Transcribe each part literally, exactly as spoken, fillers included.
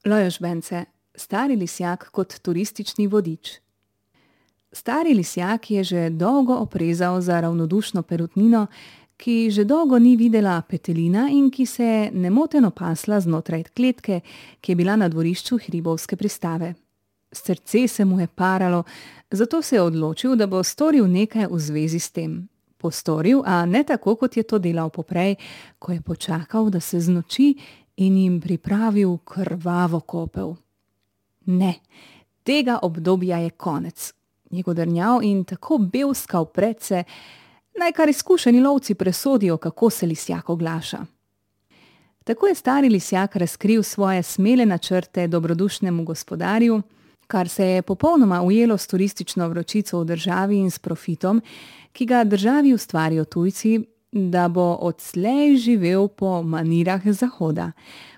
Lajos Bence, stari lisjak kot turistični vodič. Stari lisjak je že dolgo oprezal za ravnodušno perutnino, ki že dolgo ni videla petelina in ki se je nemoteno pasla znotraj kletke, ki je bila na dvorišču hribovske pristave. Srce se mu je paralo, zato se je odločil, da bo storil nekaj v zvezi s tem. Postoril, a ne tako, kot je to delal poprej, ko je počakal, da se znoči in jim pripravil krvavo kopel. Ne, tega obdobja je konec. Je godrnjav in tako belskal predse, naj kar izkušeni lovci presodijo, kako se lisjak oglaša. Tako je stari lisjak razkril svoje smele načrte dobrodušnemu gospodarju, kar se je popolnoma ujelo s turistično vročico v državi in s profitom, ki ga državi ustvarijo tujci, da bo odslej živel po manirah Zahoda.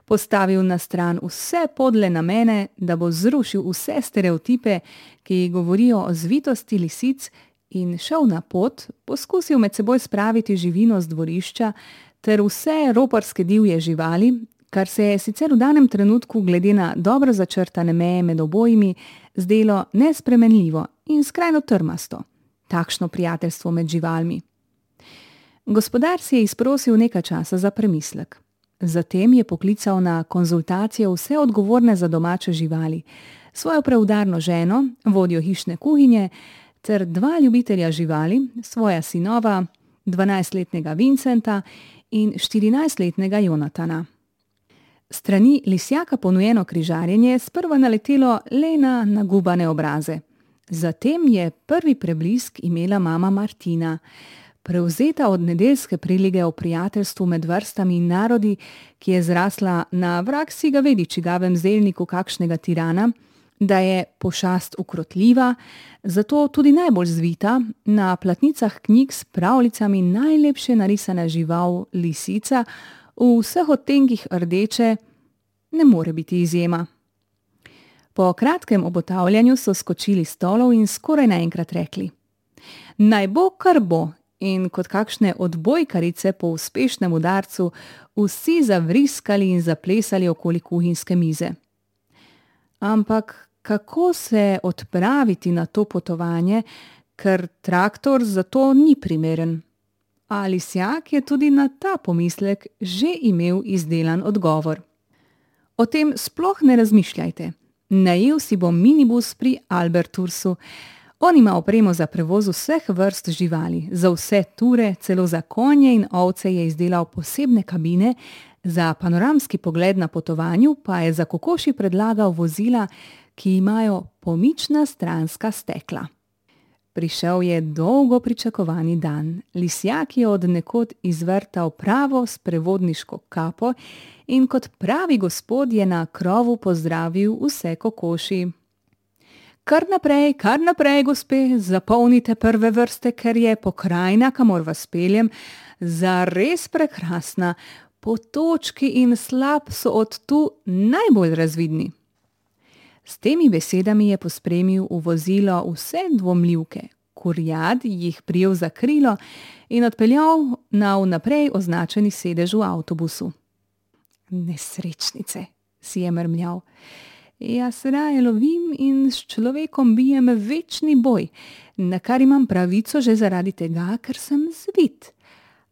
Postavil na stran vse podle namene, da bo zrušil vse stereotipe, ki govorijo o zvitosti lisic, in šel na pot, poskusil med seboj spraviti živino z dvorišča ter vse roparske divje živali, kar se je sicer v danem trenutku glede na dobro začrtane meje med obojimi zdelo nespremenljivo in skrajno trmasto. Takšno prijateljstvo med živalmi. Gospodar si je izprosil nekaj časa za premislek. Zatem je poklical na konzultacijo vse odgovorne za domače živali, svojo preudarno ženo, vodjo hišne kuhinje, ter dva ljubitelja živali, svoja sinova, dvanajstletnega Vincenta in štirinajstletnega Jonatana. Strani lisjaka ponujeno križarjenje je sprva naletelo le na nagubane obraze. Zatem je prvi preblisk imela mama Martina, prevzeta od nedeljske prilige o prijateljstvu med vrstami in narodi, ki je zrasla na vrag si ga vedi čigavem zelniku kakšnega tirana, da je pošast ukrotljiva, zato tudi najbolj zvita, na platnicah knjig s pravljicami najlepše narisana žival lisica, v vseh odtenkih rdeče, ne more biti izjema. Po kratkem obotavljanju so skočili s stolov in skoraj naenkrat rekli: Naj bo, kar bo, in kot kakšne odbojkarice po uspešnem udarcu vsi zavriskali in zaplesali okoli kuhinjske mize. Ampak kako se odpraviti na to potovanje, ker traktor za to ni primeren? A lisjak je tudi na ta pomislek že imel izdelan odgovor. O tem sploh ne razmišljajte. Najel si bom minibus pri Albertursu. On ima opremo za prevoz vseh vrst živali, za vse ture, celo za konje in ovce je izdelal posebne kabine, za panoramski pogled na potovanju pa je za kokoši predlagal vozila, ki imajo pomična stranska stekla. Prišel je dolgo pričakovani dan. Lisjak je od nekod izvrtal pravo sprevodniško kapo in kot pravi gospod je na krovu pozdravil vse kokoši. Kar naprej, kar naprej, gospe, zapolnite prve vrste, ker je pokrajina, kamor vas peljem, zares prekrasna. Potočki in slap so od tu najbolj razvidni. S temi besedami je pospremil v vozilo vse dvomljivke. Kurjad jih prijel za krilo in odpeljal na vnaprej označeni sedež v avtobusu. Nesrečnice, si je mrmljal. Jaz raje lovim in s človekom bijem večni boj, na kar imam pravico že zaradi tega, ker sem zvit.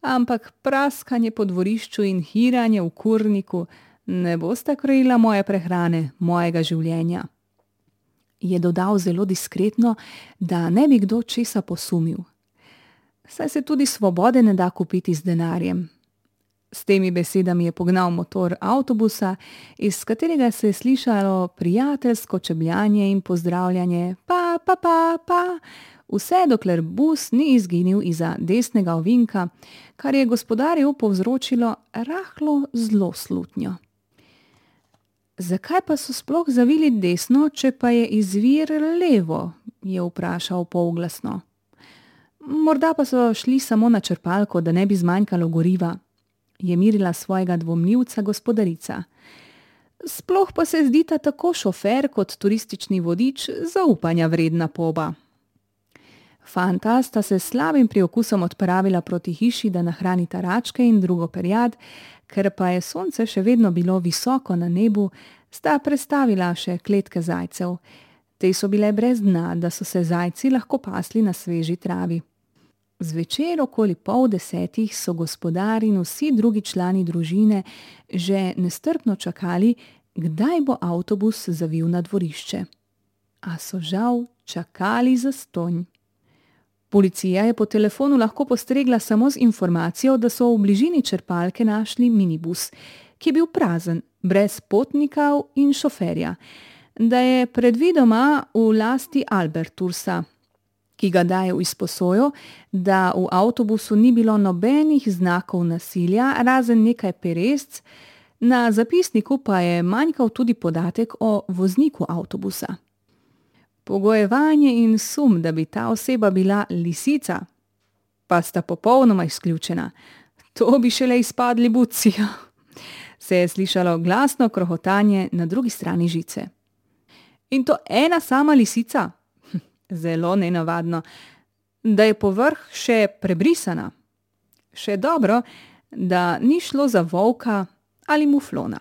Ampak praskanje po dvorišču in hiranje v kurniku ne bosta krojila moje prehrane, mojega življenja. Je dodal zelo diskretno, da ne bi kdo česa posumil. Saj se tudi svobode ne da kupiti z denarjem. S temi besedami je pognal motor avtobusa, iz katerega se je slišalo prijateljsko čebljanje in pozdravljanje pa, pa, pa, pa, vse dokler bus ni izginil izza desnega ovinka, kar je gospodarju povzročilo rahlo zlo slutnjo. Zakaj pa so sploh zavili desno, če pa je izvir levo, je vprašal polglasno. Morda pa so šli samo na črpalko, da ne bi zmanjkalo goriva, je mirila svojega dvomljivca gospodarica. Sploh pa se zdita tako šofer kot turistični vodič zaupanja vredna poba. Fanta sta se s slabim priokusom odpravila proti hiši, da nahranita račke in drugo perjad, ker pa je sonce še vedno bilo visoko na nebu, sta prestavila še kletke zajcev. Te so bile brez dna, da so se zajci lahko pasli na sveži travi. Zvečer okoli pol desetih so gospodar in vsi drugi člani družine že nestrpno čakali, kdaj bo avtobus zavil na dvorišče. A so žal čakali zastonj. Policija je po telefonu lahko postregla samo z informacijo, da so v bližini črpalke našli minibus, ki je bil prazen, brez potnikov in šoferja, da je predvidoma v lasti Albertursa, ki ga daje v izposojo, da v avtobusu ni bilo nobenih znakov nasilja, razen nekaj peresc, na zapisniku pa je manjkal tudi podatek o vozniku avtobusa. Pogojevanje in sum, da bi ta oseba bila lisica, pa sta popolnoma izključena. To bi šele izpadli buci. Se je slišalo glasno krohotanje na drugi strani žice. In to ena sama lisica? Zelo nenavadno, da je povrh še prebrisana. Še dobro, da ni šlo za volka ali muflona.